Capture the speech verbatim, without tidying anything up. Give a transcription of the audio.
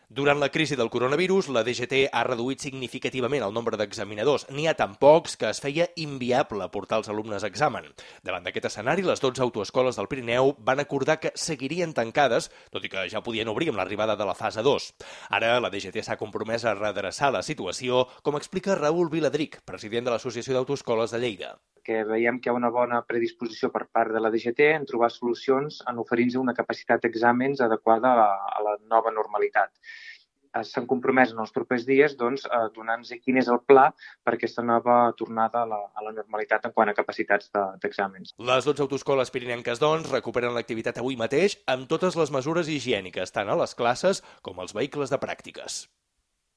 Durant la crisi del coronavirus, la D G T ha reduït significativament el nombre d'examinadors. N'hi ha tan pocs que es feia inviable portar els alumnes a examen. Davant d'aquest escenari, les dotze autoescoles del Pirineu van acordar que seguirien tancades, tot i que ja podien obrir amb l'arribada de la fase dos. Ara, la D G T s'ha compromès a redreçar la situació, com explica Raül Viladric, president de l'Associació d'Autoescoles de Lleida. Que veiem que hi ha una bona predisposició per part de la D G T en trobar solucions en oferir-nos una capacitat d'exàmens adequada a la, a la nova normalitat. S'han compromès en els propers dies doncs, a donar-nos quin és el pla per aquesta nova tornada a la, a la normalitat en quant a capacitats d'exàmens. Les dotze autoescoles pirinenques, doncs, recuperen l'activitat avui mateix amb totes les mesures higièniques, tant a les classes com als vehicles de pràctiques.